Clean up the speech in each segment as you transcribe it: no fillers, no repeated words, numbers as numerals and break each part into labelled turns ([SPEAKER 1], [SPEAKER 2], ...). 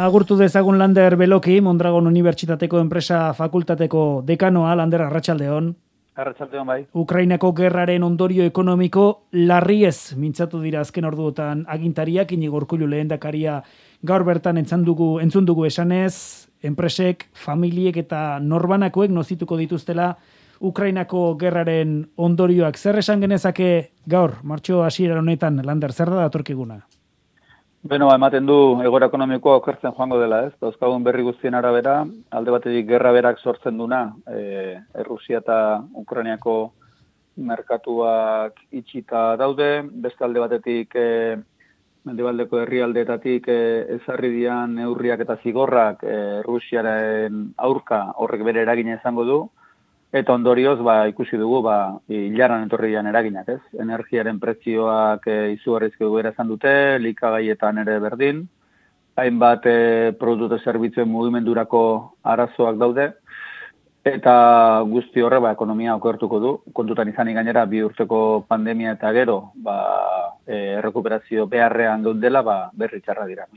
[SPEAKER 1] Agurtu dezagun Lander Beloki, Mondragon Unibertsitateko Enpresa Fakultateko dekanoa, Lander, arratsaldeon.
[SPEAKER 2] Arratsaldeon bai.
[SPEAKER 1] Ukrainako gerraren ondorio ekonomiko larriez mintzatu dira azken orduotan agintariak, Iñigo Urkullu lehendakaria gaur bertan entzun dugu esanez, enpresek, familiek eta norbanakoek nozituko dituztela Ukrainako gerraren ondorioak. Zer esan genezake gaur, martxo hasiera honetan, Lander, zer da datorkiguna?
[SPEAKER 2] Beno, ematen du egoera ekonomikoa okertzen joango dela, ez? Dauzkagun berri guztien arabera, alde batetik gerra berak sortzen duna, Errusia eta Ukrainiako merkatuak itxita daude, beste alde batetik mendebaldeko herrialdeetatik ezarri dian neurriak eta zigorrak Errusiaren aurka horrek bere eragina izango du, eta ondorioz ikusi dugu ilaran etorri dian eraginak, ez? Energiaren prezioak izugarrizko egoera izan dute, likagaietan ere berdin, hainbat produktu zerbitzuen mugimendurako arazoak daude, eta guzti horre ekonomia okertuko du. Kontutan izanik gainera 2 urteko pandemia eta gero errekuperazio beharrean geundela berri txarra dira.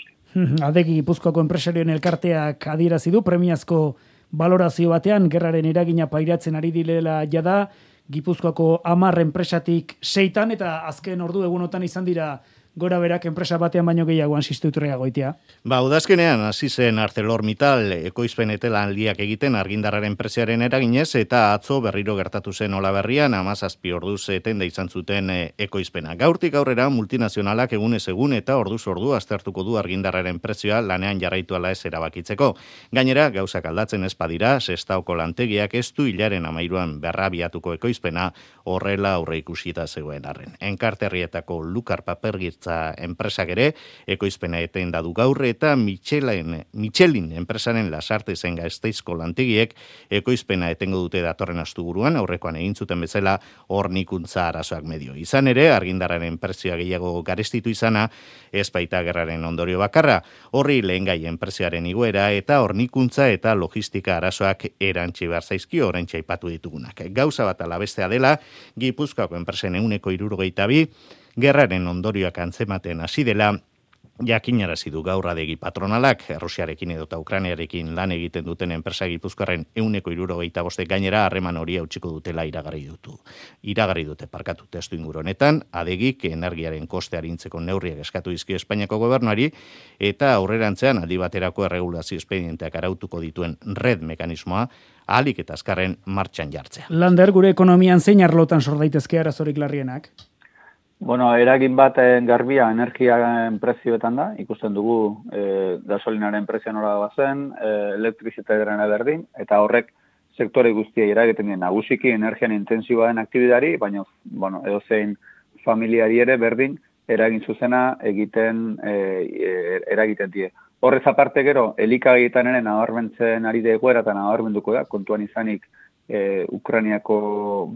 [SPEAKER 1] Adegi Gipuzkoako enpresarioen elkarteak adierazi du premiazko balorazio batean gerraren eragina pairatzen ari direla jada, Gipuzkoako 10 enpresatik 6 eta azken ordu egunotan izan dira gora berak enpresa batean baino gehiagoan Sistuiturria goitia.
[SPEAKER 3] Udazkenean hasi zen ArcelorMittal ekoizpen etelanaldiak egiten argindarraren preziaren eraginez eta atzo berriro gertatu zen Olaberrian 17 orduz etenda izan zuten ekoizpena. Gaurtik aurrera multinazionalak egunez egun eta orduz ordu aztertuko du argindarraren prezioa lanean jarraitu ala ez erabakitzeko. Gainera, gauzak aldatzen ez badira, Sestaoko lantegiak ez du hilaren 13an berrabiatuko ekoizpena horrela aurreikusita zegoen arren. Enkarterrietako Lukar papergirtza enpresak ere ekoizpena etenda du gaur eta Michelin enpresaren Lasarte zen Gasteizko lantegiek ekoizpena etengo dute datorren asteburuan, aurrekoan egin zuten bezala hornikuntza arazoak medio. Izan ere, argindarraren prezioa gehiago garestitu izana, ez baita gerraren ondorio bakarra, horri lehengai enpresiaren igoera eta hornikuntza eta logistika arazoak erantsi behar zaizkio oraintxe aipatu ditugunak. Gauza bat ala bestea dela, Gipuzkoako enpresen 172 gerraren ondorioak antzematen hasi dela, jakinarazi du gaur Adegi patronalak, Errusiarekin edota Ukrainiarekin lan egiten duten enpresa Gipuzkoarren 175 gainera harreman hori hautsiko dutela iragarri dute testu inguru honetan, Adegik energiaren koste arintzeko neurriak eskatu dizkio Espainiako gobernuari eta aurrerantzean aldi baterako erregulazio espedienteak arautuko dituen red mekanismoa ahalik eta azkarren martxan jartzea.
[SPEAKER 1] Lander, gure ekonomian zein arlotan sor daitezke arazorik larrienak?
[SPEAKER 2] Eragin bat garbia energiaren prezioetan da, ikusten dugu gasolinaren prezioa nora bazen, elektrizitatearen berdin, eta horrek sektore guztiei eragiten dien nagusiki energian intensiboa den aktibidari, baina edozein familiari ere berdin eragin zuzena eragiten die. Horrez aparte gero, elikagaietan ere nabarmentzen ari da egoera eta nabarmenduko da, kontuan izanik Ukrainiako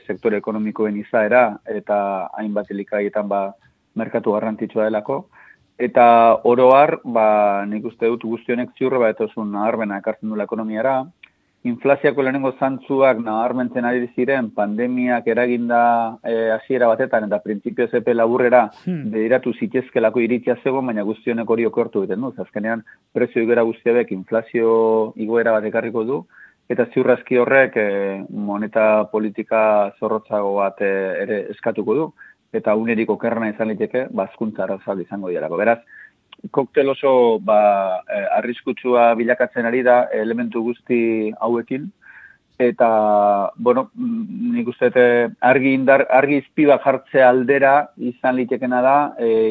[SPEAKER 2] sektore ekonomikoen izaera eta hainbat elikagaietan merkatu garrantzitsua delako. Eta oroar, nik uste dut guztionek ziurre etozun naharbena ekartzen dula ekonomiara. Inflaziako lehenengo zantzuak nabarmentzen ari ziren pandemiak eraginda hasiera batetan eta printzipio epe laburrera bediratu zitezkelako iritzia zegoen, baina guztionek hori okertu egiten du. Azkenean prezio igoera guztiabek inflazio igoera bat ekarriko du. Eta ziurrazki horrek moneta politika zorrotzago bat ere eskatuko du. Eta unerik okerrena izan liteke, hazkuntza arazoak izango direlako. Beraz, koktel oso arriskutsua bilakatzen ari da elementu guzti hauekin. Eta, nik uste argi izpiba jartzea aldera izan litekena da,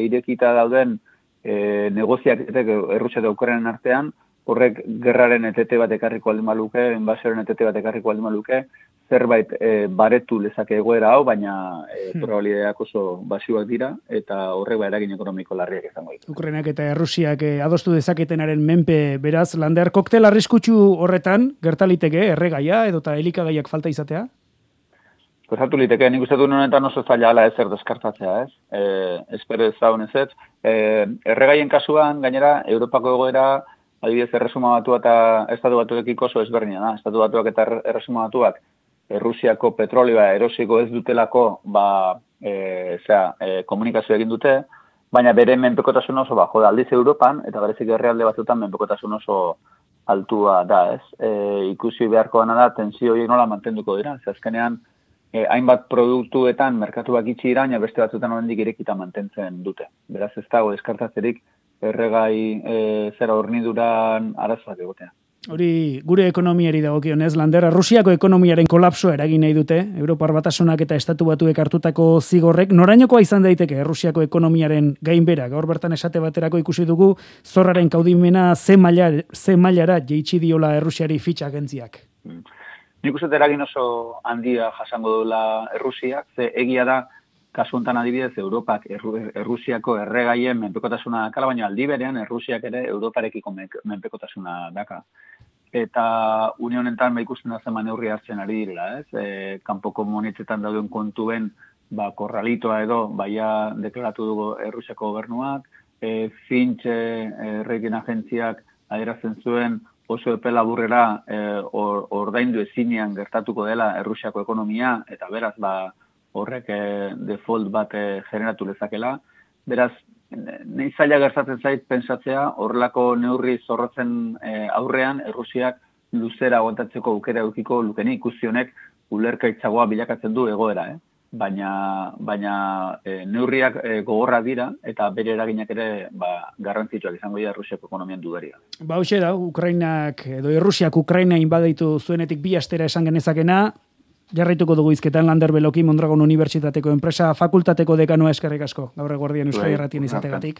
[SPEAKER 2] irekita dauden negoziaketek Errusia eta Ukrainaren artean, horrek gerraren etete bat ekarriko aldin baluke, inbasioaren etete bat ekarriko aldin baluke, zerbait baretu lezake egoera hau, baina probabilidadeak oso basioak dira, eta horrek eragin ekonomiko larriak izango ditu.
[SPEAKER 1] Ukrainak eta Errusiak adostu dezaketenaren menpe beraz, Lander, koktel arriskutsu horretan, gertaliteke erregaia edota elikagaiak falta izatea?
[SPEAKER 2] Gertatu liteke, nik uste duen honetan oso zaila ala ezer deskartatzea, ez? Espero ezagun ez. Erregaien kasuan, gainera, Europako egoera, adibidez, Erresuma Batua eta Estatu Batuekiko oso ezberdina da. Estatu Batuak eta Erresuma Batuak Errusiako petrolioa erosiko ez dutelako komunikazio egin dute, baina bere menpekotasun oso bajo da. Aldiz Europan, eta berezik herrialde batzuetan menpekotasun oso altua da, ez? Ikusi beharko dena da, tensio horiek nola mantenduko dira. Azkenean, hainbat produktuetan merkatuak itxi dira, baina beste batzuetan oraindik irekita mantentzen dute. Beraz, ez dago eskartatzerik erregai zera horniduran arazoak egotea.
[SPEAKER 1] Hori gure ekonomiari dagokionez, Lander, Rusiako ekonomiaren kolapsoa eragin nahi dute, Europar Batasunak eta Estatu Batuek hartutako zigorrek, norainokoa izan daiteke Rusiako ekonomiaren gainbera? Gaur bertan esate baterako ikusi dugu zorraren kaudimena ze mailara jeitsi diola Errusiari Fitch agentziak.
[SPEAKER 2] Nik uste eragin oso handia jasango duela Errusiak, ze egia da, kasu honetan adibidez, Europak Errusiako erregaien menpekotasuna dakala, baina aldi berean Errusiak ere Europarekiko menpekotasuna daka. Eta une honetan ikusten da zen neurri hartzen ari direla, ez? Kanpoko monetzetan dauden kontuen korralitoa edo baia deklaratu dugu Errusiako gobernuak, Fitch rating agentziak adierazten zuen oso epe laburrera ordaindu ezinean gertatuko dela Errusiako ekonomia, eta beraz horrek default bat generatu lezakela. Beraz, nahi zaila gertatzen zait pensatzea, horrelako neurri zorrotzen aurrean, Errusiak luzera aguantatzeko aukera edukiko lukeni, ikusi honek ulergaitzagoa bilakatzen du egoera, baina neurriak gogorrak dira, eta bere eraginak ere garrantzitsuak izango dira Errusiako ekonomian dudaria.
[SPEAKER 1] Hoxe da, Ukrainak, edo Errusiak Ukraina inbaditu zuenetik 2 astera esan genezakena, jarraituko dugu izketan Lander Beloki, Mondragon Unibertsitateko enpresa fakultateko dekanoa, eskerrik asko, gaur eguerdian Euskal Irratien izategatik.